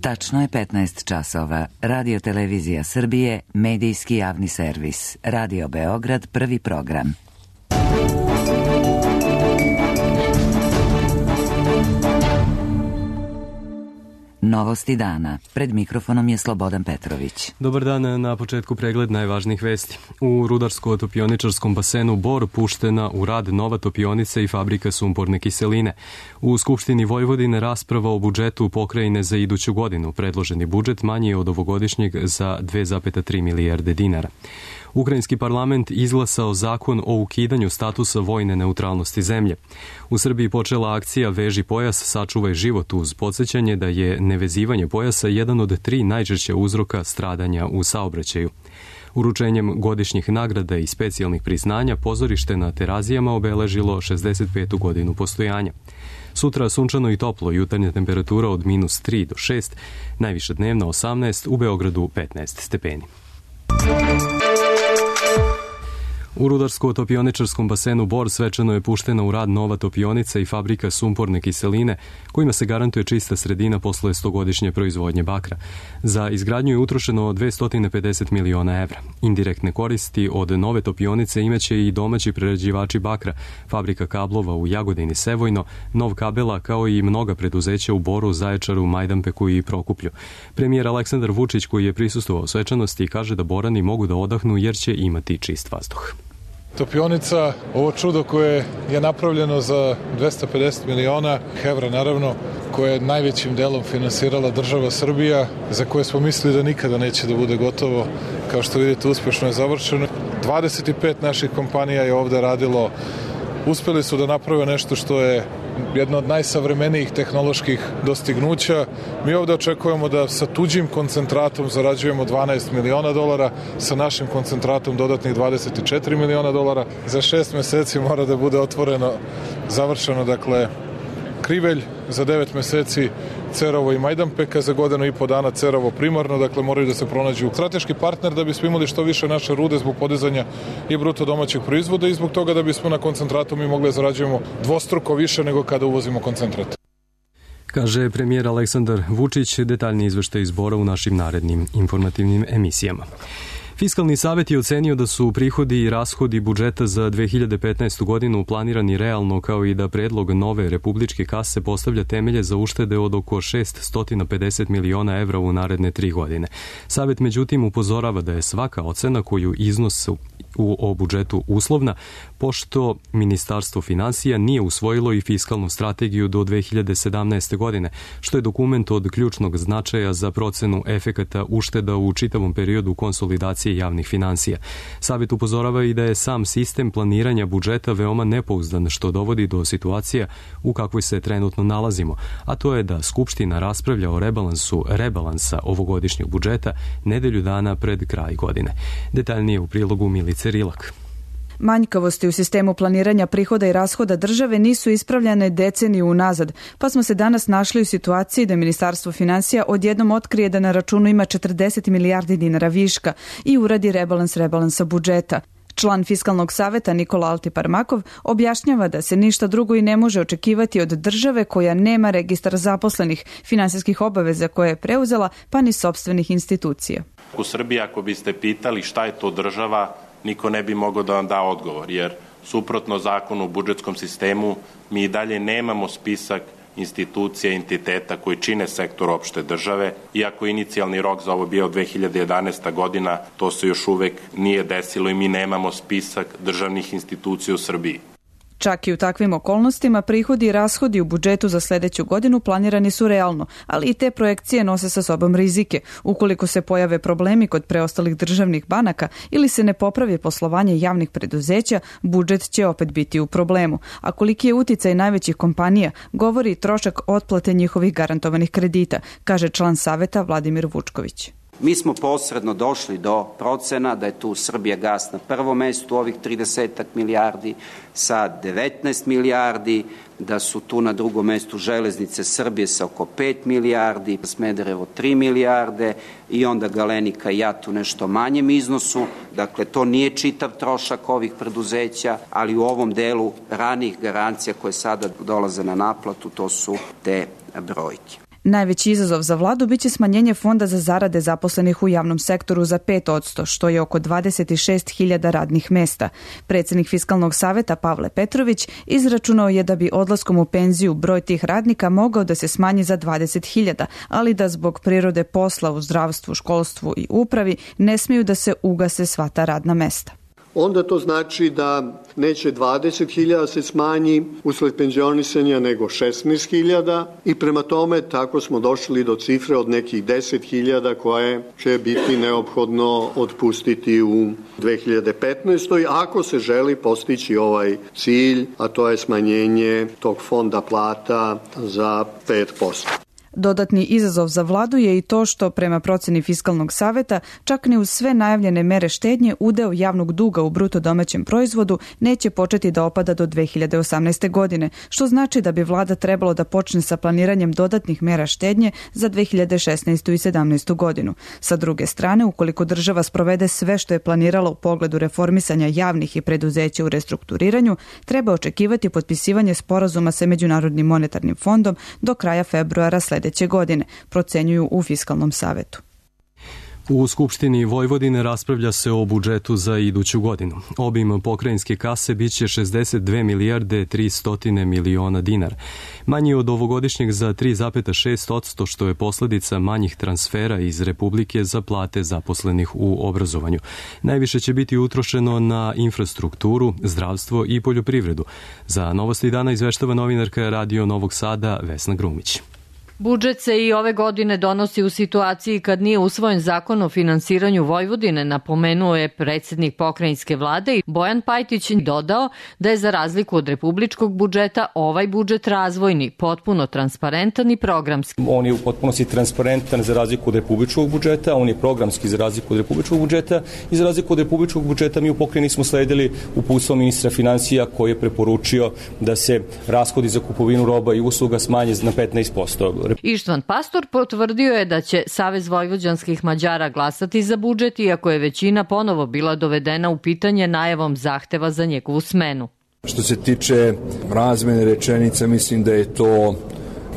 Tačno je 15 časova. Radio Televizija Srbije, medijski javni servis. Radio Beograd, prvi program. Novosti dana. Pred mikrofonom je Slobodan Petrović. Dobar dan, na početku pregled najvažnijih vesti. U rudarsko-topioničarskom basenu Bor puštena u rad nova topionica i fabrika sumporne kiseline. U Skupštini Vojvodine rasprava o budžetu pokrajine za iduću godinu. Predloženi budžet manji je od ovogodišnjeg za 2,3 milijarde dinara. Ukrajinski parlament izglasao zakon o ukidanju statusa vojne neutralnosti zemlje. U Srbiji počela akcija Veži pojas, sačuvaj život uz podsjećanje da je nevezivanje pojasa jedan od 3 najčešća uzroka stradanja u saobraćaju. Uručenjem godišnjih nagrada i specijalnih priznanja pozorište na Terazijama obeležilo 65. godinu postojanja. Sutra sunčano i toplo, jutarnja temperatura od -3 do 6, najviša dnevna 18, u Beogradu 15 stepeni. U rudarsko-topioničarskom basenu Bor svečano je puštena u rad nova topionica i fabrika sumporne kiseline, kojima se garantuje čista sredina posle 100-godišnje proizvodnje bakra. Za izgradnju je utrošeno 250 miliona evra. Indirektne koristi od nove topionice imaće i domaći prerađivači bakra, fabrika kablova u Jagodini Sevojno, Nov kabela, kao i mnoga preduzeća u Boru, Zaječaru, Majdanpeku i Prokuplju. Premijer Aleksandar Vučić, koji je prisustvovao svečanosti, kaže da Borani mogu da odahnu jer će imati čist vazduh. Topionica, ovo čudo koje je napravljeno za 250 miliona evra, naravno, koje je najvećim delom finansirala država Srbija, za koje smo mislili da nikada neće da bude gotovo. Kao što vidite, uspešno je završeno. 25 naših kompanija je ovde radilo. Uspeli su da naprave nešto što je jedno od najsavremenijih tehnoloških dostignuća. Mi ovde očekujemo da sa tuđim koncentratom zarađujemo 12 miliona dolara, sa našim koncentratom dodatnih 24 miliona dolara. Za 6 meseci mora da bude otvoreno, završeno, dakle, Krivelj, za 9 meseci Cerovo i Majdanpek, za godinu i po dana Cerovo primarno, dakle moraju da se pronađu strateški partner da bismo imali što više naše rude zbog podizanja i bruto domaćeg proizvoda i zbog toga da bismo na koncentratu mi mogli da zarađujemo dvostruko više nego kada uvozimo koncentrat. Kaže premijer Aleksandar Vučić, detaljni izveštaj iz Bora u našim narednim informativnim emisijama. Fiskalni savet je ocenio da su prihodi i rashodi budžeta za 2015. godinu planirani realno, kao i da predlog nove republičke kase postavlja temelje za uštede od oko 650 miliona evra u naredne 3 godine. Savet međutim upozorava da je svaka ocena koju iznosu o budžetu uslovna, pošto Ministarstvo finansija nije usvojilo i fiskalnu strategiju do 2017. godine, što je dokument od ključnog značaja za procenu efekata ušteda u čitavom periodu konsolidacije javnih finansija. Savet upozorava i da je sam sistem planiranja budžeta veoma nepouzdan, što dovodi do situacija u kakvoj se trenutno nalazimo, a to je da Skupština raspravlja o rebalansa ovogodišnjeg budžeta nedelju dana pred kraj godine. Detaljnije u prilogu Milice Rilak. Manjkavosti u sistemu planiranja prihoda i rashoda države nisu ispravljane deceniju unazad, pa smo se danas našli u situaciji da Ministarstvo finansija odjednom otkrije da na računu ima 40 milijardi dinara viška i uradi rebalansa budžeta. Član Fiskalnog saveta Nikola Altiparmakov objašnjava da se ništa drugo i ne može očekivati od države koja nema registar zaposlenih, finansijskih obaveza koje je preuzela, pa ni sopstvenih institucija. U Srbiji, ako biste pitali šta je to država, niko ne bi mogao da vam da odgovor, jer suprotno zakonu o budžetskom sistemu mi i dalje nemamo spisak institucija i entiteta koji čine sektor opšte države. Iako inicijalni rok za ovo bio 2011. godina, to se još uvek nije desilo i mi nemamo spisak državnih institucija u Srbiji. Čak i u takvim okolnostima prihodi i rashodi u budžetu za sledeću godinu planirani su realno, ali i te projekcije nose sa sobom rizike. Ukoliko se pojave problemi kod preostalih državnih banaka ili se ne popravi poslovanje javnih preduzeća, budžet će opet biti u problemu. A koliki je uticaj najvećih kompanija, govori trošak otplate njihovih garantovanih kredita, kaže član saveta Vladimir Vučković. Mi smo posredno došli do procena da je tu Srbijagas na prvom mestu ovih 30 milijardi sa 19 milijardi, da su tu na drugom mestu Železnice Srbije sa oko 5 milijardi, Smederevo 3 milijarde i onda Galenika i JAT u nešto manjem iznosu. Dakle, to nije čitav trošak ovih preduzeća, ali u ovom delu ranih garancija koje sada dolaze na naplatu, to su te brojke. Najveći izazov za vladu biće smanjenje fonda za zarade zaposlenih u javnom sektoru za 5%, što je oko 26.000 radnih mesta. Predsjednik Fiskalnog saveta Pavle Petrović izračunao je da bi odlaskom u penziju broj tih radnika mogao da se smanji za 20.000, ali da zbog prirode posla u zdravstvu, školstvu i upravi ne smiju da se ugase sva ta radna mesta. Onda to znači da neće 20.000 se smanji usled penzionisanja, nego 16.000 i prema tome tako smo došli do cifre od nekih 10.000 koje će biti neophodno otpustiti u 2015. ako se želi postići ovaj cilj, a to je smanjenje tog fonda plata za 5%. Dodatni izazov za vladu je i to što, prema proceni Fiskalnog saveta, čak ni uz sve najavljene mere štednje udeo javnog duga u bruto domaćem proizvodu neće početi da opada do 2018. godine, što znači da bi vlada trebalo da počne sa planiranjem dodatnih mera štednje za 2016. i 2017. godinu. Sa druge strane, ukoliko država sprovede sve što je planirala u pogledu reformisanja javnih i preduzeća u restrukturiranju, treba očekivati potpisivanje sporazuma sa Međunarodnim monetarnim fondom do kraja februara sljedeće godine, procenjuju u Fiskalnom savetu. U Skupštini Vojvodine raspravlja se o budžetu za iduću godinu. Obim pokrajinske kase biće 62 milijarde 300 miliona dinara. Manji od ovogodišnjeg za 3,6%, što je posljedica manjih transfera iz Republike za plate zaposlenih u obrazovanju. Najviše će biti utrošeno na infrastrukturu, zdravstvo i poljoprivredu. Za Novosti dana izveštava novinarka Radio Novog Sada Vesna Grumić. Budžet se i ove godine donosi u situaciji kad nije usvojen zakon o finansiranju Vojvodine, napomenuo je predsjednik pokrajinske vlade i Bojan Pajtić dodao da je za razliku od republičkog budžeta ovaj budžet razvojni, potpuno transparentan i programski. On je u potpunosti transparentan za razliku od republičkog budžeta, on je programski za razliku od republičkog budžeta i za razliku od republičkog budžeta mi u pokrajini smo sledili uputstvo ministra finansija koji je preporučio da se rashodi za kupovinu roba i usluga smanje na 15%. Ištvan Pastor potvrdio je da će Savez vojvođanskih Mađara glasati za budžet, iako je većina ponovo bila dovedena u pitanje najavom zahteva za njegovu smenu. Što se tiče razmene rečenica, mislim da je to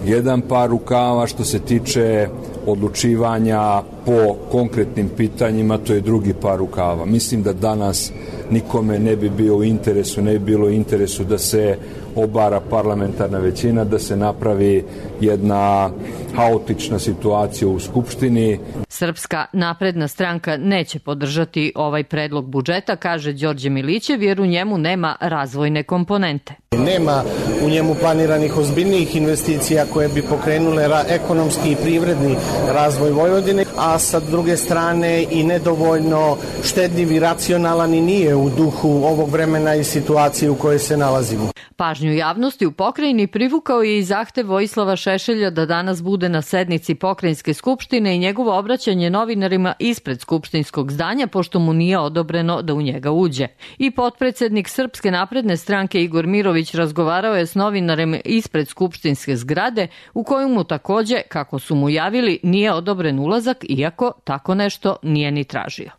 jedan par rukava. Što se tiče odlučivanja po konkretnim pitanjima, to je drugi par rukava. Mislim da danas nikome ne bi bio u interesu, ne bi bilo u interesu da se obara parlamentarna većina, da se napravi jedna haotična situacija u Skupštini. Srpska napredna stranka neće podržati ovaj predlog budžeta, kaže Đorđe Milićev, jer u njemu nema razvojne komponente. Nema u njemu planiranih ozbiljnijih investicija koje bi pokrenule ekonomski i privredni razvoj Vojvodine, a sa druge strane i nedovoljno štedljiv i racionalan i nije u duhu ovog vremena i situacije u kojoj se nalazimo. Pažnju javnosti u pokrajini privukao je i zahtev Vojislava Šešelja da danas bude na sednici pokrajinske skupštine i njegovo obraćanje novinarima ispred skupštinskog zdanja, pošto mu nije odobreno da u njega uđe. I potpredsednik Srpske napredne stranke Igor Mirović razgovarao je s novinarima ispred skupštinske zgrade, u koju mu takođe, kako su mu javili, nije odobren ulazak, iako tako nešto nije ni tražio.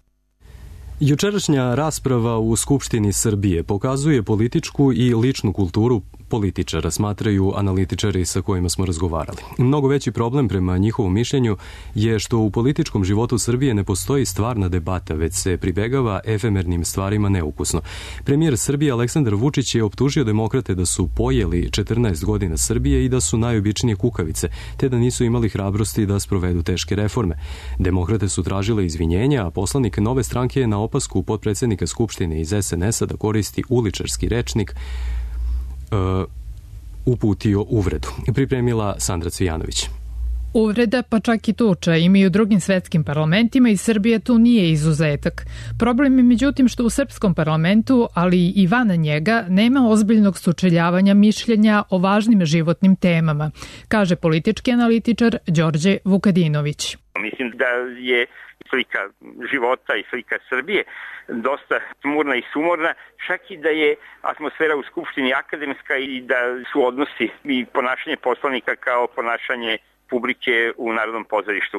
Jučerašnja rasprava u Skupštini Srbije pokazuje političku i ličnu kulturu političara, smatraju analitičari sa kojima smo razgovarali. Mnogo veći problem prema njihovom mišljenju je što u političkom životu Srbije ne postoji stvarna debata, već se pribegava efemernim stvarima neukusno. Premijer Srbije Aleksandar Vučić je optužio demokrate da su pojeli 14 godina Srbije i da su najobičnije kukavice, te da nisu imali hrabrosti da sprovedu teške reforme. Demokrate su tražile izvinjenja, a poslanik Nove stranke je na opasku potpredsednika Skupštine iz SNS-a da koristi uličarski rečnik uputio uvredu. Pripremila Sandra Cvijanović. Uvreda, pa čak i tuča, ima i u drugim svetskim parlamentima i Srbija tu nije izuzetak. Problem je međutim što u srpskom parlamentu, ali i van njega, nema ozbiljnog sučeljavanja mišljenja o važnim životnim temama, kaže politički analitičar Đorđe Vukadinović. Mislim da je slika života i slika Srbije dosta smurna i sumorna, čak i da je atmosfera u Skupštini akademska i da su odnosi i ponašanje poslanika kao ponašanje publike u Narodnom pozorištu.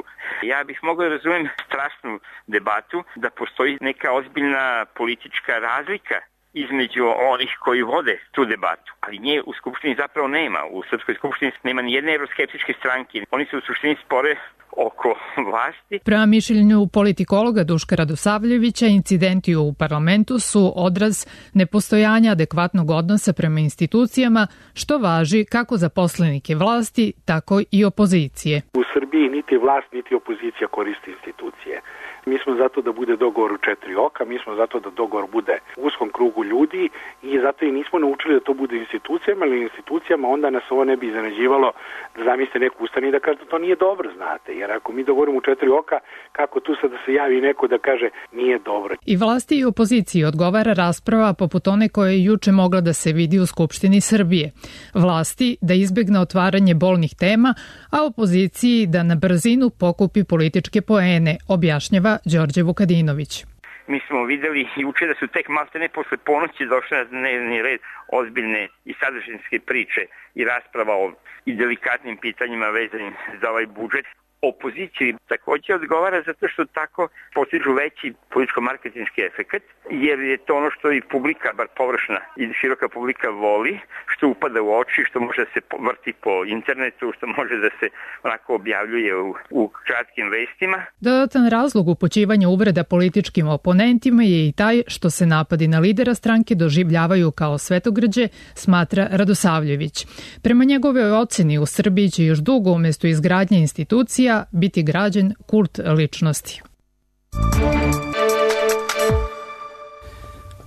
Ja bih mogao da razumem strasnu debatu, da postoji neka ozbiljna politička razlika između onih koji vode tu debatu. Ali nje u Skupštini zapravo nema. U Srpskoj skupštini nema ni jedne evroskeptičke stranke. Oni se u suštini spore oko vlasti. Prema mišljenju politikologa Duška Radosavljevića, incidenti u parlamentu su odraz nepostojanja adekvatnog odnosa prema institucijama, što važi kako za poslanike vlasti, tako i opozicije. U Srbiji niti vlast, niti opozicija koriste institucije. Mi smo zato da bude dogovor u 4 oka, mi smo zato da dogovor bude u uskom krugu ljudi i zato i nismo naučili da to bude institucijama, ali institucijama onda nas ovo ne bi iznenađivalo da zamislite neku ustane i da kaže da to nije dobro, znate. Jer ako mi dogovorimo u 4 oka, kako tu sad da se javi neko da kaže nije dobro. I vlasti i opoziciji odgovara rasprava poput one koja je juče mogla da se vidi u Skupštini Srbije. Vlasti da izbegne otvaranje bolnih tema, a opoziciji da na brzinu pokupi političke poene, objašnjava Đorđe Vukadinović. Mi smo videli juče da su tek maltene posle ponoći došle na dnevni red ozbiljne i sadržinske priče i rasprava o i delikatnim pitanjima vezanim za ovaj budžet. Opoziciji također odgovara zato što tako postižu veći političko-marketinški efekt, jer je to ono što i publika, bar površna i široka publika voli, što upada u oči, što može da se vrti po internetu, što može da se onako objavljuje u kratkim vestima. Dodatan razlog upućivanja uvreda političkim oponentima je i taj što se napadi na lidera stranke doživljavaju kao svetogrđe, smatra Radosavljević. Prema njegove oceni u Srbiji će još dugo umjesto izgradnje institucija biti građen kult ličnosti.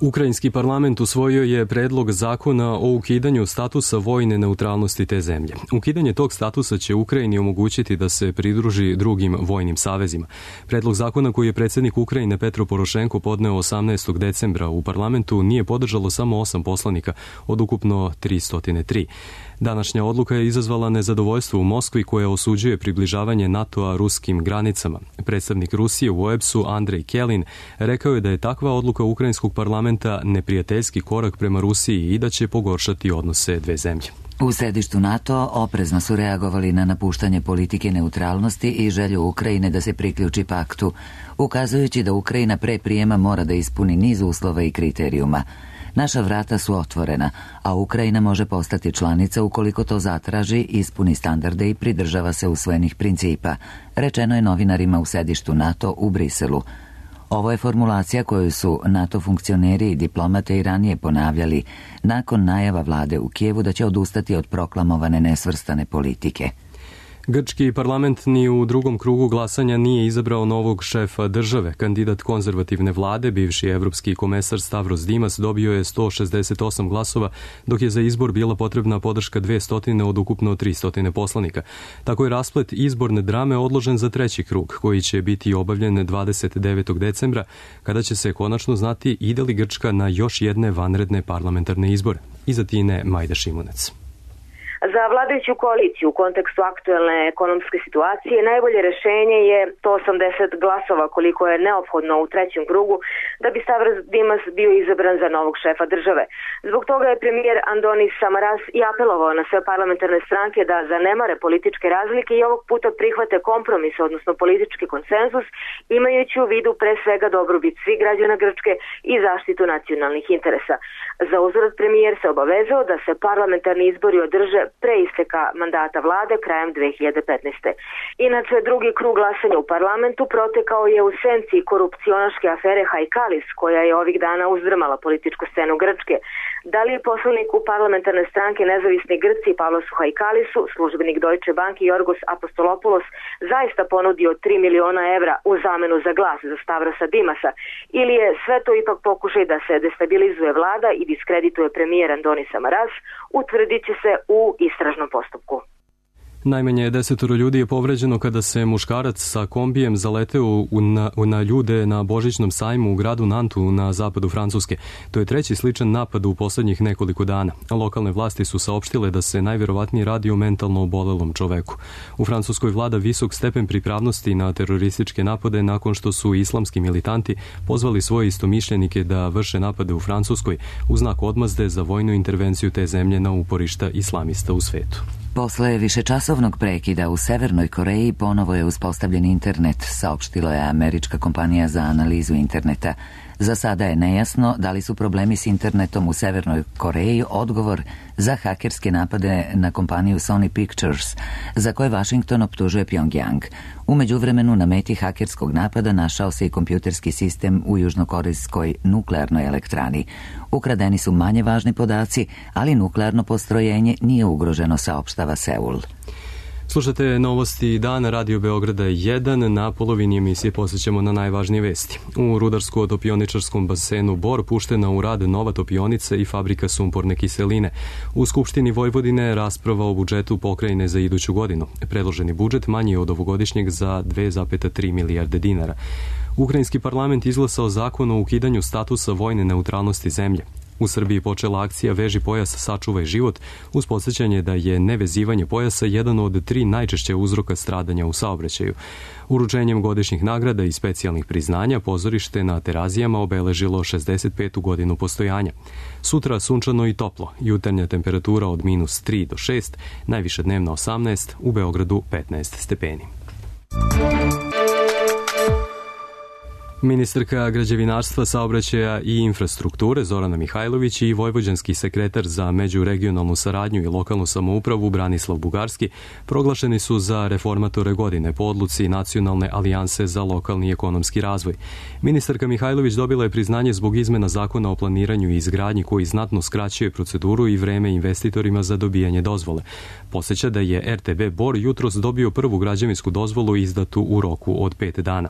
Ukrajinski parlament usvojio je predlog zakona o ukidanju statusa vojne neutralnosti te zemlje. Ukidanje tog statusa će Ukrajini omogućiti da se pridruži drugim vojnim savezima. Predlog zakona koji je predsjednik Ukrajine Petro Porošenko podneo 18. decembra u parlamentu nije podržalo samo 8 poslanika od ukupno 303. Današnja odluka je izazvala nezadovoljstvo u Moskvi koja osuđuje približavanje NATO-a ruskim granicama. Predstavnik Rusije u OEBS-u Andrej Kelin rekao je da je takva odluka ukrajinskog parlamenta neprijateljski korak prema Rusiji i da će pogoršati odnose dve zemlje. U sedištu NATO oprezno su reagovali na napuštanje politike neutralnosti i želju Ukrajine da se priključi paktu, ukazujući da Ukrajina pre prijema mora da ispuni niz uslova i kriterijuma. Naša vrata su otvorena, a Ukrajina može postati članica ukoliko to zatraži, ispuni standarde i pridržava se usvojenih principa, rečeno je novinarima u sedištu NATO u Briselu. Ovo je formulacija koju su NATO funkcioneri i diplomate i ranije ponavljali nakon najava vlade u Kijevu da će odustati od proklamovane nesvrstane politike. Grčki parlament ni u drugom krugu glasanja nije izabrao novog šefa države. Kandidat konzervativne vlade, bivši evropski komesar Stavros Dimas, dobio je 168 glasova, dok je za izbor bila potrebna podrška 200 od ukupno 300 poslanika. Tako je rasplet izborne drame odložen za treći krug, koji će biti obavljen 29. decembra, kada će se konačno znati ide li Grčka na još jedne vanredne parlamentarne izbore. Iza Tine Majda Šimunac. Za vladajuću koaliciju u kontekstu aktuelne ekonomske situacije najbolje rešenje je 180 glasova koliko je neophodno u trećem krugu da bi Stavros Dimas bio izabran za novog šefa države. Zbog toga je premijer Andonis Samaras i apelovao na sve parlamentarne stranke da zanemare političke razlike i ovog puta prihvate kompromis, odnosno politički konsenzus, imajući u vidu pre svega dobrobit svih građana Grčke i zaštitu nacionalnih interesa. Za uzvrat premijer se obavezao da se parlamentarni izbori održe pre isteka mandata vlade krajem 2015. Inače, drugi krug glasanja u parlamentu protekao je u senci korupcionaške afere Hajkalis, koja je ovih dana uzdrmala političku scenu Grčke. Da li je poslanik u parlamentarne stranke Nezavisni Grci Pavlosu Hajkalisu, službenik Deutsche Bank Jorgos Apostolopoulos, zaista ponudio 3 miliona evra u zamenu za glas za Stavrosa Dimasa, ili je sve to ipak pokušaj da se destabilizuje vlada i diskredituje premijer Andonis Samaras, utvrdit će se u istražnom postupku. Najmanje 10 ljudi je povređeno kada se muškarac sa kombijem zaleteo na ljude na Božićnom sajmu u gradu Nantu na zapadu Francuske. To je treći sličan napad u poslednjih nekoliko dana. Lokalne vlasti su saopštile da se najverovatnije radi o mentalno obolelom čoveku. U Francuskoj vlada visok stepen pripravnosti na terorističke napade nakon što su islamski militanti pozvali svoje istomišljenike da vrše napade u Francuskoj u znak odmazde za vojnu intervenciju te zemlje na uporišta islamista u svetu. Posle višečasovnog prekida u Severnoj Koreji ponovo je uspostavljen internet, saopštila je američka kompanija za analizu interneta. Za sada je nejasno da li su problemi s internetom u Severnoj Koreji odgovor za hakerske napade na kompaniju Sony Pictures, za koje Washington optužuje Pyongyang. U međuvremenu na meti hakerskog napada našao se i kompjuterski sistem u južnokorejskoj nuklearnoj elektrani. Ukradeni su manje važni podaci, ali nuklearno postrojenje nije ugroženo, saopštava Seul. Slušate novosti dana Radio Beograda 1. Na polovini emisije posjećamo na najvažnije vesti. U rudarsko-topioničarskom basenu Bor puštena u rad nova topionica i fabrika sumporne kiseline. U Skupštini Vojvodine rasprava o budžetu pokrajine za iduću godinu. Predloženi budžet manji je od ovogodišnjeg za 2,3 milijarde dinara. Ukrajinski parlament izglasao zakon o ukidanju statusa vojne neutralnosti zemlje. U Srbiji počela akcija Veži pojas, sačuvaj život, uz podsjećanje da je nevezivanje pojasa jedan od 3 najčešće uzroka stradanja u saobraćaju. Uručenjem godišnjih nagrada i specijalnih priznanja pozorište na Terazijama obeležilo 65. godinu postojanja. Sutra sunčano i toplo, jutarnja temperatura od -3 do 6, najviše dnevno 18, u Beogradu 15 stepeni. Ministarka građevinarstva, saobraćaja i infrastrukture Zorana Mihajlović i vojvođanski sekretar za međuregionalnu saradnju i lokalnu samoupravu Branislav Bugarski proglašeni su za reformatore godine po odluci Nacionalne alijanse za lokalni i ekonomski razvoj. Ministarka Mihajlović dobila je priznanje zbog izmena zakona o planiranju i izgradnji koji znatno skraćuje proceduru i vreme investitorima za dobijanje dozvole. Podsjeća da je RTB Bor jutros dobio prvu građevinsku dozvolu izdatu u roku od 5 dana.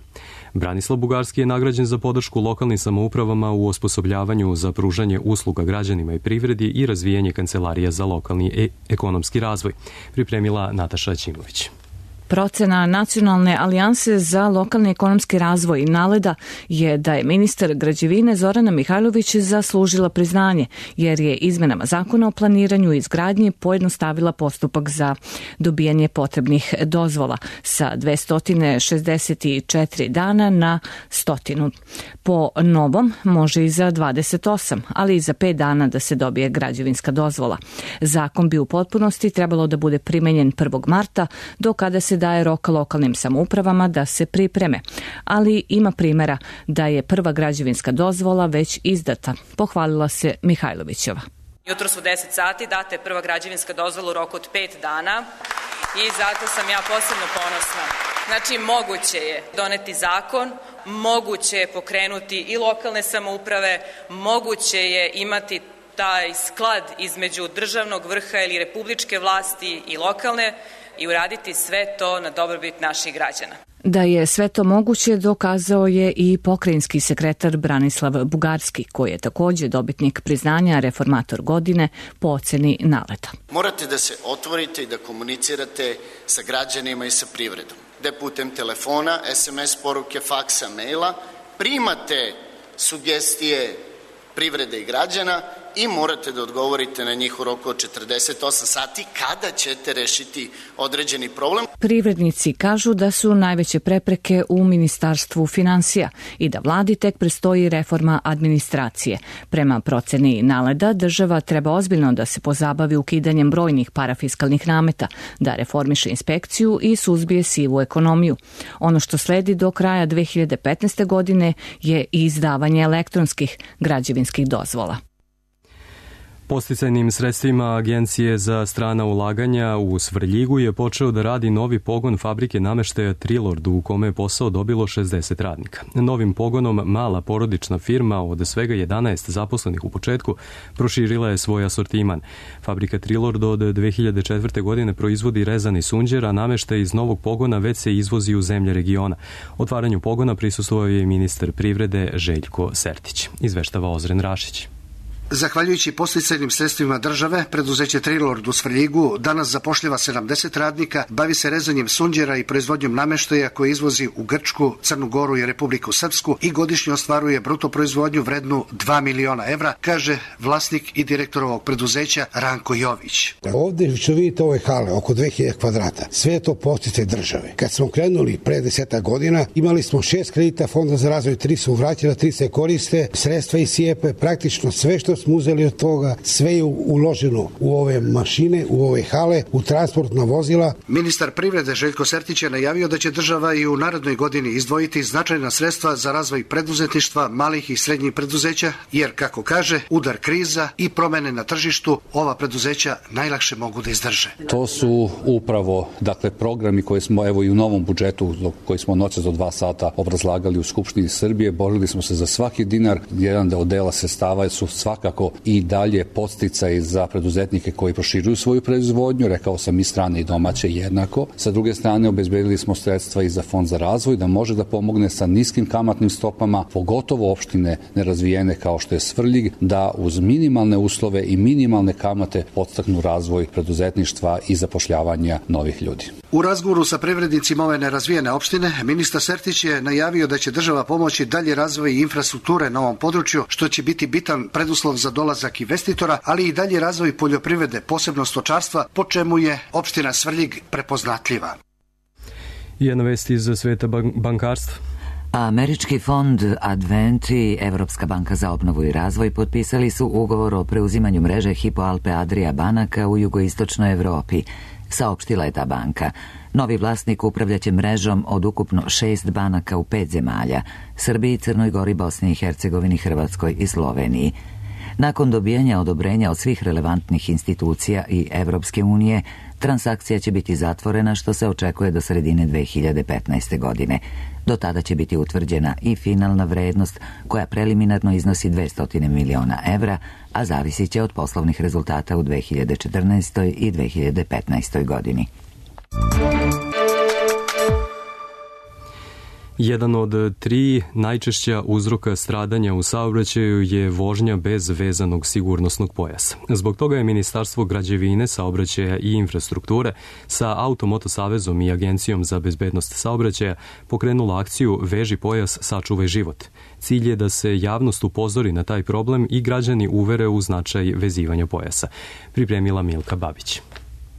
Branislav Bugarski je nagrađen za podršku lokalnim samoupravama u osposobljavanju za pružanje usluga građanima i privredi i razvijanje kancelarija za lokalni i ekonomski razvoj. Pripremila Nataša Ćimović. Procena Nacionalne alijanse za lokalni ekonomski razvoj NALED-a je da je ministar građevine Zorana Mihajlović zaslužila priznanje, jer je izmenama zakona o planiranju i izgradnji pojednostavila postupak za dobijanje potrebnih dozvola sa 264 dana na 100. Po novom može i za 28, ali i za 5 dana da se dobije građevinska dozvola. Zakon bi u potpunosti trebalo da bude primenjen 1. marta, do kada se daje rok lokalnim samoupravama da se pripreme, ali ima primjera da je prva građevinska dozvola već izdata, pohvalila se Mihajlovićeva. Jutros u 10 sati data je prva građevinska dozvola u roku od 5 dana i zato sam ja posebno ponosna. Znači, moguće je doneti zakon, moguće je pokrenuti i lokalne samouprave, moguće je imati taj sklad između državnog vrha ili republičke vlasti i lokalne i uraditi sve to na dobrobit naših građana. Da je sve to moguće dokazao je i pokrajinski sekretar Branislav Bugarski, koji je također dobitnik priznanja reformator godine po oceni NALED-a. Morate da se otvorite i da komunicirate sa građanima i sa privredom. Da putem telefona, SMS poruke, faksa, maila primate sugestije privrede i građana i morate da odgovorite na njih u roku od 48 sati kada ćete rešiti određeni problem. Privrednici kažu da su najveće prepreke u Ministarstvu finansija i da vladi tek predstoji reforma administracije. Prema proceni NALED-a, država treba ozbiljno da se pozabavi ukidanjem brojnih parafiskalnih nameta, da reformiše inspekciju i suzbije sivu ekonomiju. Ono što sledi do kraja 2015. godine je izdavanje elektronskih građevinskih dozvola. Podsticajnim sredstvima Agencije za strana ulaganja u Svrljigu je počeo da radi novi pogon fabrike nameštaja Trilord, u kome je posao dobilo 60 radnika. Novim pogonom mala porodična firma od svega 11 zaposlenih u početku proširila je svoj asortiman. Fabrika Trilord od 2004. godine proizvodi rezani sunđer, a nameštaj iz novog pogona već se izvozi u zemlje regiona. Otvaranju pogona prisustvovao je ministar privrede Željko Sertić. Izveštava Ozren Rašić. Zahvaljujući podsticajnim sredstvima države, preduzeće Trilord u Svrljigu danas zapošljava 70 radnika, bavi se rezanjem sunđera i proizvodnjom nameštaja koje izvozi u Grčku, Crnu Goru i Republiku Srpsku i godišnje ostvaruje bruto proizvodnju vrednu 2 miliona evra, kaže vlasnik i direktor ovog preduzeća Ranko Jović. Ovdje što vidite ove hale, oko 2000 kvadrata, sve je to podsticaj države. Kad smo krenuli pre 10 godina, imali smo 6 kredita Fonda za razvoj, 3 su vraćena, 3 se koriste, sredstva i SIEP-e, praktično sve što smo uzeli od toga, sve je uloženo u ove mašine, u ove hale, u transportna vozila. Ministar privrede Željko Sertić je najavio da će država i u narednoj godini izdvojiti značajna sredstva za razvoj preduzetništva, malih i srednjih preduzeća, jer, kako kaže, udar kriza i promene na tržištu ova preduzeća najlakše mogu da izdrže. To su upravo, programi koje smo evo i u novom budžetu koji smo noćas do 2 sata obrazlagali u Skupštini Srbije. Borili smo se za svaki dinar. Jedan od dela sredstava su svakako i dalje podsticaji za preduzetnike koji proširuju svoju proizvodnju, rekao sam i strane i domaće jednako. Sa druge strane, obezbedili smo sredstva i za Fond za razvoj da može da pomogne sa niskim kamatnim stopama, pogotovo opštine nerazvijene kao što je Svrljig, da uz minimalne uslove i minimalne kamate podstaknu razvoj preduzetništva i zapošljavanja novih ljudi. U razgovoru sa privrednicima ove nerazvijene opštine, ministar Sertić je najavio da će država pomoći dalje razvoj infrastrukture na ovom području, što će biti bitan preduslov za dolazak investitora, ali i dalje razvoj poljoprivrede, posebno stočarstva, po čemu je opština Svrljig prepoznatljiva. Jedna vest iz sveta bankarstva. Američki fond Advent i Evropska banka za obnovu i razvoj potpisali su ugovor o preuzimanju mreže Hypo Alpe Adria banaka u jugoistočnoj Evropi, saopštila je ta banka. Novi vlasnik upravljaće mrežom od ukupno 6 banaka u 5 zemalja: Srbiji, Crnoj Gori, Bosni i Hercegovini, Hrvatskoj i Sloveniji. Nakon dobijanja odobrenja od svih relevantnih institucija i Evropske unije, transakcija će biti zatvorena, što se očekuje do sredine 2015. godine. Do tada će biti utvrđena i finalna vrednost, koja preliminarno iznosi 200 miliona evra, a zavisit će od poslovnih rezultata u 2014. i 2015. godini. Jedan od 3 najčešća uzroka stradanja u saobraćaju je vožnja bez vezanog sigurnosnog pojasa. Zbog toga je Ministarstvo građevine, saobraćaja i infrastrukture sa Automoto savezom i Agencijom za bezbednost saobraćaja pokrenula akciju Veži pojas, sačuvaj život. Cilj je da se javnost upozori na taj problem i građani uvere u značaj vezivanja pojasa. Pripremila Milka Babić.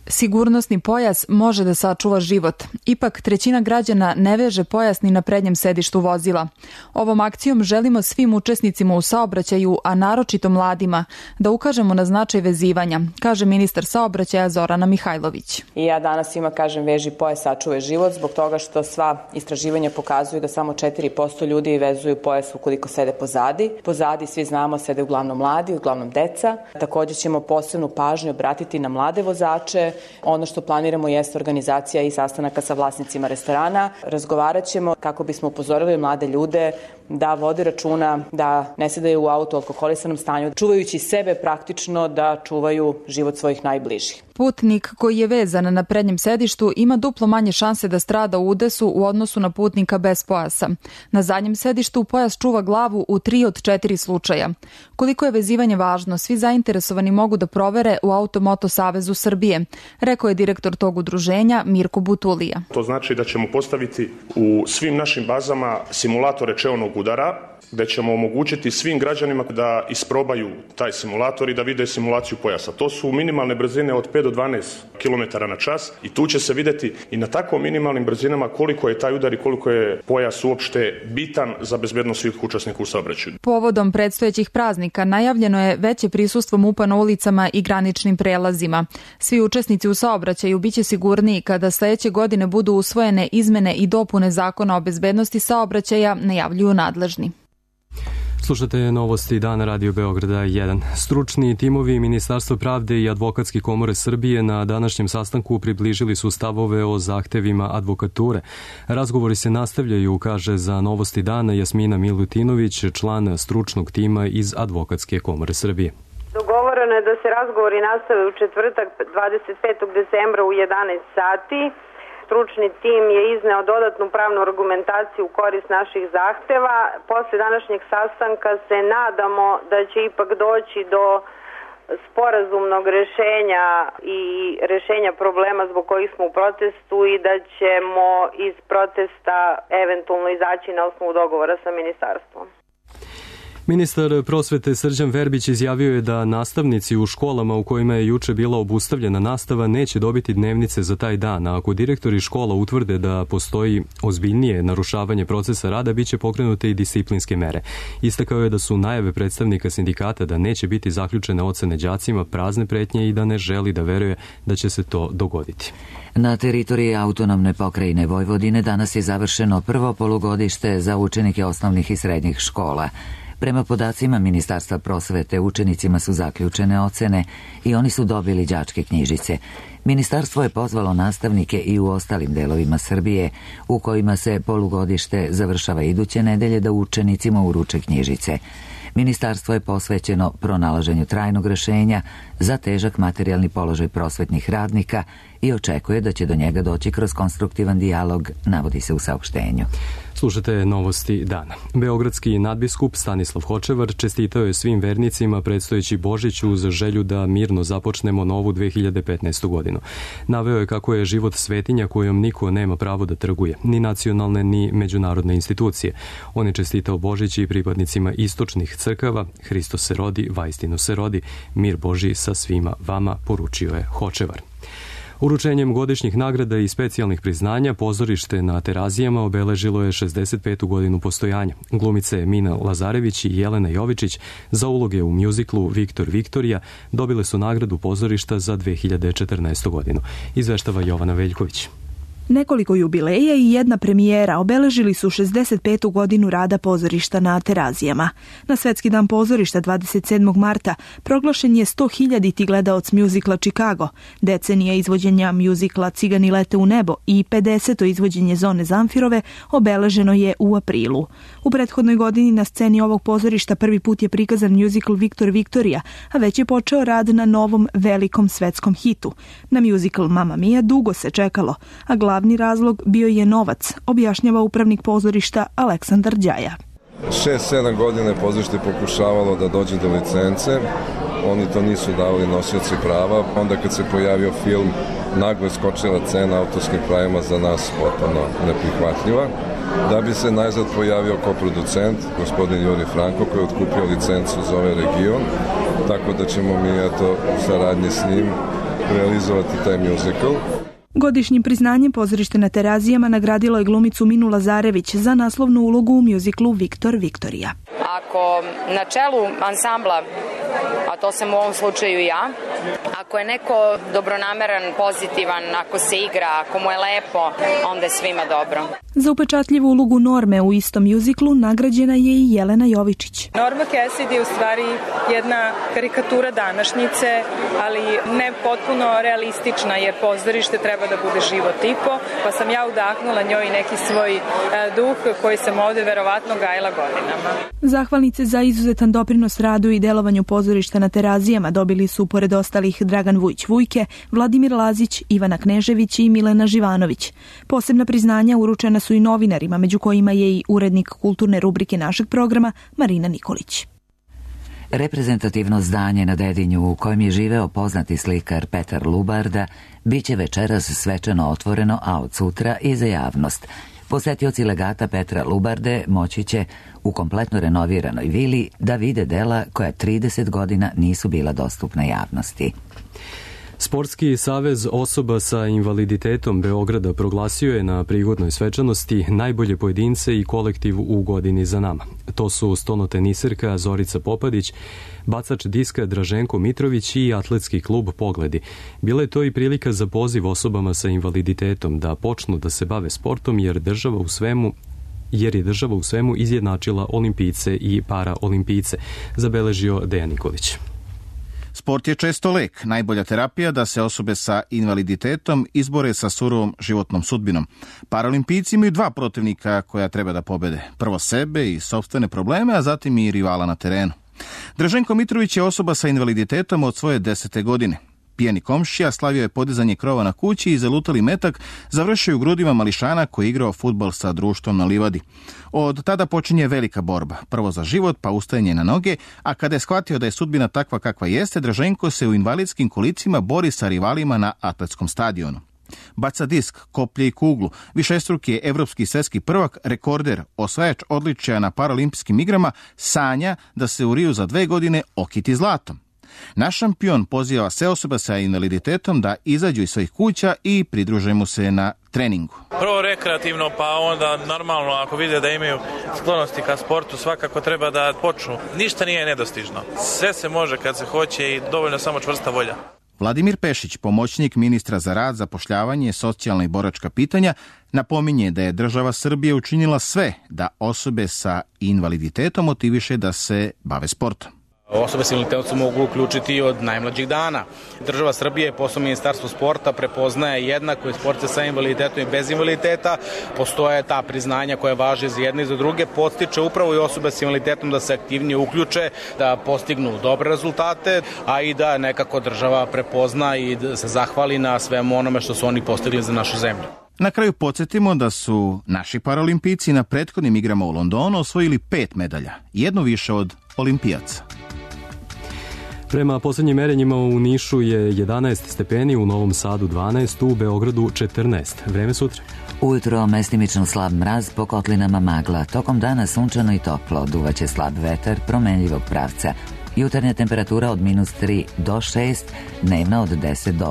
Sigurnosni pojas može da sačuva život. Ipak, trećina građana ne veže pojas ni na prednjem sedištu vozila. Ovom akcijom želimo svim učesnicima u saobraćaju, a naročito mladima, da ukažemo na značaj vezivanja, kaže ministar saobraćaja Zorana Mihajlović. I ja danas svima kažem veži pojas, sačuvaj život, zbog toga što sva istraživanja pokazuju da samo 4% ljudi vezuju pojas ukoliko sede pozadi. Pozadi, svi znamo, sede uglavnom mladi, uglavnom deca. Također ćemo posebnu pažnju obratiti na mlade vozače. Ono što planiramo jeste organizacija i sastanaka sa vlasnicima restorana. Razgovarat ćemo kako bismo upozorili mlade ljude da vode računa, da ne sedaju u auto u alkoholisanom stanju, čuvajući sebe praktično da čuvaju život svojih najbližih. Putnik koji je vezan na prednjem sedištu ima duplo manje šanse da strada u udesu u odnosu na putnika bez pojasa. Na zadnjem sedištu pojas čuva glavu u 3 od 4 slučaja. Koliko je vezivanje važno, svi zainteresovani mogu da provere u Automoto savezu Srbije, rekao je direktor tog udruženja Mirko Butulija. To znači da ćemo postaviti u svim našim bazama simulatore čeonog udara, gde ćemo omogućiti svim građanima da isprobaju taj simulator i da vide simulaciju pojasa. To su minimalne brzine od 5 do 12 km na čas i tu će se videti i na tako minimalnim brzinama koliko je taj udar i koliko je pojas uopšte bitan za bezbednost svih učesnika u saobraćaju. Povodom predstojećih praznika najavljeno je veće prisustvo MUP-a na ulicama i graničnim prelazima. Svi učesnici u saobraćaju biće sigurniji kada sledeće godine budu usvojene izmene i dopune Zakona o bezbednosti saobraćaja, najavljuju nadležni. Slušate novosti Dana Radio Beograda 1. Stručni timovi Ministarstva pravde i Advokatske komore Srbije na današnjem sastanku približili su stavove o zahtevima advokature. Razgovori se nastavljaju, kaže za Novosti Dana Jasmina Milutinović, član stručnog tima iz Advokatske komore Srbije. Dogovoreno je da se razgovori nastave u četvrtak 25. decembra u 11 sati. Stručni tim je izneo dodatnu pravnu argumentaciju u korist naših zahteva. Posle današnjeg sastanka se nadamo da će ipak doći do sporazumnog rešenja i rešenja problema zbog kojih smo u protestu i da ćemo iz protesta eventualno izaći na osnovu dogovora sa ministarstvom. Ministar prosvete Srđan Verbić izjavio je da nastavnici u školama u kojima je juče bila obustavljena nastava neće dobiti dnevnice za taj dan, a ako direktori škola utvrde da postoji ozbiljnije narušavanje procesa rada, biće pokrenute i disciplinske mere. Istakao je da su najave predstavnika sindikata da neće biti zaključene ocene đacima prazne pretnje i da ne želi da veruje da će se to dogoditi. Na teritoriji autonomne pokrajine Vojvodine danas je završeno prvo polugodište za učenike osnovnih i srednjih škola. Prema podacima Ministarstva prosvete, učenicima su zaključene ocene i oni su dobili đačke knjižice. Ministarstvo je pozvalo nastavnike i u ostalim delovima Srbije u kojima se polugodište završava iduće nedelje da učenicima uruče knjižice. Ministarstvo je posvećeno pronalaženju trajnog rešenja za težak materijalni položaj prosvetnih radnika i očekuje da će do njega doći kroz konstruktivan dijalog, navodi se u saopštenju. Slušate novosti dana. Beogradski nadbiskup Stanislav Hočevar čestitao je svim vernicima predstojeći Božić uz želju da mirno započnemo novu 2015. godinu. Naveo je kako je život svetinja kojom niko nema pravo da trguje, ni nacionalne ni međunarodne institucije. On je čestitao Božić i pripadnicima istočnih crkava. Hristos se rodi, vaistinu se rodi, mir Božji sa svima vama, poručio je Hočevar. Uručenjem godišnjih nagrada i specijalnih priznanja pozorište na Terazijama obeležilo je 65. godinu postojanja. Glumice Mina Lazarević i Jelena Jovičić za uloge u mjuziklu Viktor Viktorija dobile su nagradu pozorišta za 2014. godinu. Izveštava Jovana Veljković. Nekoliko jubileja i jedna premijera obeležili su 65. godinu rada pozorišta na Terazijama. Na Svetski dan pozorišta 27. marta proglašen je 100.000 gledaoc mjuzikla Chicago, decenija izvođenja mjuzikla Cigani lete u nebo i 50. izvođenje Zone Zamfirove obeleženo je u aprilu. U prethodnoj godini na sceni ovog pozorišta prvi put je prikazan mjuzikl Viktor Viktorija, a već je počeo rad na novom velikom svetskom hitu. Na mjuzikl Mamma Mia dugo se čekalo, a glavni razlog bio je novac, objašnjava upravnik pozorišta Aleksandar Đaja. 6-7 godina je pozorište pokušavalo da dođe do licence, oni to nisu davali nosioci prava, onda kad se pojavio film, naglo je skočila cena autorskim pravima za nas potpuno neprihvatljiva. Da bi se najzad pojavio koproducent, gospodin Juri Franko, koji je otkupio licencu za ovaj region, tako da ćemo mi u saradnji s njim realizovati taj mjuzikl. Godišnjim priznanjem pozorište na Terazijama nagradilo je glumicu Minu Lazarević za naslovnu ulogu u mjuziklu Viktor Viktorija. Ako na čelu ansambla, a to sam u ovom slučaju ja, ako je neko dobronameran, pozitivan, ako se igra, ako mu je lepo, onda je svima dobro. Za upečatljivu ulogu Norme u istom mjuziklu nagrađena je i Jelena Jovičić. Norma Cassidy je u stvari jedna karikatura današnjice, ali ne potpuno realistična, jer pozorište treba da bude živo tipo, pa sam ja udahnula njoj neki svoj duh koji sam ovde verovatno gajila godinama. Zahvalnice za izuzetan doprinos radu i delovanju pozorišta na Terazijama dobili su pored ostalih Dragan Vujić-Vujke, Vladimir Lazić, Ivana Knežević i Milena Živanović. Posebna priznanja uručena su i novinarima, među kojima je i urednik kulturne rubrike našeg programa Marina Nikolić. Reprezentativno zdanje na Dedinju u kojem je živeo poznati slikar Petar Lubarda biće večeras svečano otvoreno, a od sutra i za javnost. Posetioci legata Petra Lubarde moći će u kompletno renoviranoj vili da vide dela koja 30 godina nisu bila dostupna javnosti. Sportski savez osoba sa invaliditetom Beograda proglasio je na prigodnoj svečanosti najbolje pojedince i kolektiv u godini za nama. To su stonoteniserka Zorica Popadić, bacač diska Draženko Mitrović i atletski klub Pogledi. Bila je to i prilika za poziv osobama sa invaliditetom da počnu da se bave sportom jer je država u svemu izjednačila olimpijce i paraolimpijce, zabeležio Dejan Nikolić. Sport je često lek, najbolja terapija da se osobe sa invaliditetom izbore sa surovom životnom sudbinom. Paralimpijci imaju dva protivnika koja treba da pobede. Prvo sebe i sopstvene probleme, a zatim i rivala na terenu. Draženko Mitrović je osoba sa invaliditetom od svoje 10. godine. Pijani komšija slavio je podizanje krova na kući i zalutali metak završio u grudima mališana koji je igrao fudbal sa društvom na livadi. Od tada počinje velika borba. Prvo za život, pa ustajanje na noge, a kada je shvatio da je sudbina takva kakva jeste, Draženko se u invalidskim kolicima bori sa rivalima na atletskom stadionu. Baca disk, koplje i kuglu, višestruki je evropski svetski prvak, rekorder, osvajač odličja na Paralimpijskim igrama, sanja da se u Riju za 2 godine okiti zlatom. Naš šampion poziva sve osobe sa invaliditetom da izađu iz svojih kuća i pridruže mu se na treningu. Prvo rekreativno, pa onda normalno ako vide da imaju sklonosti ka sportu, svakako treba da počnu. Ništa nije nedostižno. Sve se može kad se hoće i dovoljno samo čvrsta volja. Vladimir Pešić, pomoćnik ministra za rad, zapošljavanje, socijalna i boračka pitanja, napominje da je država Srbije učinila sve da osobe sa invaliditetom motiviše da se bave sportom. Osobe s invaliditetom se mogu uključiti od najmlađih dana. Država Srbije, posebno Ministarstvo sporta, prepoznaje jednako i sportiste sa invaliditetom i bez invaliditeta. Postoje ta priznanja koja važe za jedne i za druge. Podstiče upravo i osobe s invaliditetom da se aktivnije uključe, da postignu dobre rezultate, a i da nekako država prepozna i da se zahvali na svemu onome što su oni postigli za našu zemlju. Na kraju podsjetimo da su naši paralimpijci na prethodnim igrama u Londonu osvojili 5 medalja, jedno više od olimpijaca. Prema posljednjim merenjima u Nišu je 11 stepeni, u Novom Sadu 12, u Beogradu 14. Vreme sutra. Ujutro mestimično slab mraz, po kotlinama magla. Tokom dana sunčano i toplo, duvaće slab vetar promenljivog pravca. Jutarnja temperatura od -3 do 6, dnevna od 10 do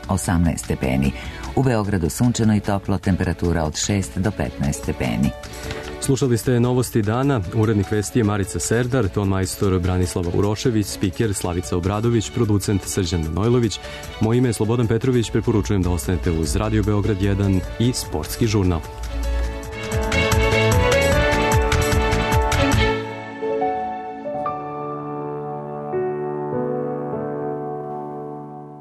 18 stepeni. U Beogradu sunčano i toplo, temperatura od 6 do 15 stepeni. Slušali ste novosti dana, urednik vesti je Marica Serdar, ton majstor Branislava Urošević, spiker Slavica Obradović, producent Srđan Manojlović. Moje ime je Slobodan Petrović, preporučujem da ostanete uz Radio Beograd 1 i Sportski žurnal.